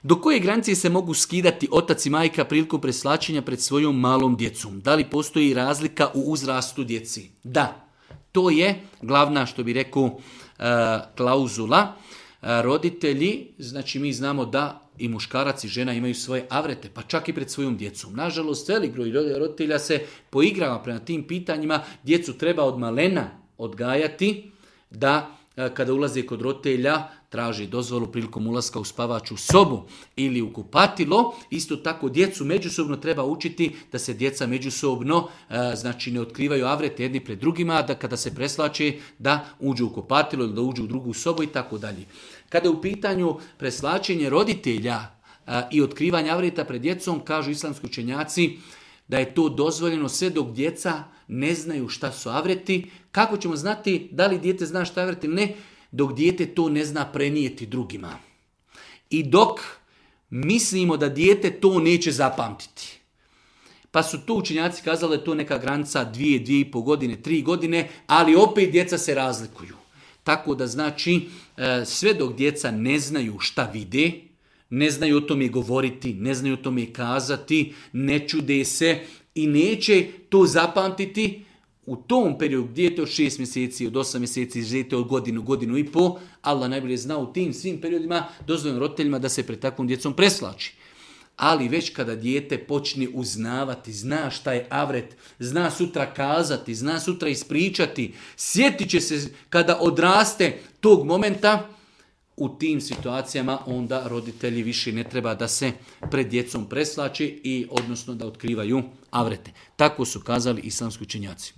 Do koje granice se mogu skidati otac i majka prilikom preslačenja pred svojom malom djecom? Da li postoji razlika u uzrastu djeci? Da. To je glavna, što bi rekao, klauzula. Roditelji, znači mi znamo da i muškarac i žena imaju svoje avrete, pa čak i pred svojom djecom. Nažalost, velik broj roditelja se poigrava prema tim pitanjima. Djecu treba od malena odgajati da kada ulaze kod roditelja traži dozvolu prilikom ulaska u spavaču sobu ili u kupatilo. Isto tako djecu međusobno treba učiti da se djeca međusobno znači ne otkrivaju avrete jedni pred drugima, da kada se preslače da uđu u kupatilo ili da uđu u drugu sobu i tako dalje. Kada je u pitanju preslačenje roditelja i otkrivanje avreta pred djecom, kažu islamski učenjaci da je to dozvoljeno sve dok djeca ne znaju šta su avreti. Kako ćemo znati da li dijete zna šta je avret ili ne? Dok dijete to ne zna prenijeti drugima. I dok mislimo da dijete to neće zapamtiti. Pa su tu učenjaci kazali da je to neka granica 2, 2,5 godine, 3 godine, ali opet djeca se razlikuju. Tako da znači sve dok djeca ne znaju šta vide, ne znaju o tome govoriti, ne znaju o tome kazati, ne čude se i neće to zapamtiti, u tom periodu dijete od 6 mjeseci, od 8 mjeseci, dijete od godinu, godinu i pol, Allah najbolje zna u tim svim periodima dozvoljeno roditeljima da se pred takvom djecom preslači. Ali već kada dijete počne uznavati, zna šta je avret, zna sutra kazati, zna sutra ispričati, sjetit će se kada odraste tog momenta, u tim situacijama onda roditelji više ne treba da se pred djecom preslače i odnosno da otkrivaju avrete. Tako su kazali islamski učenjaci.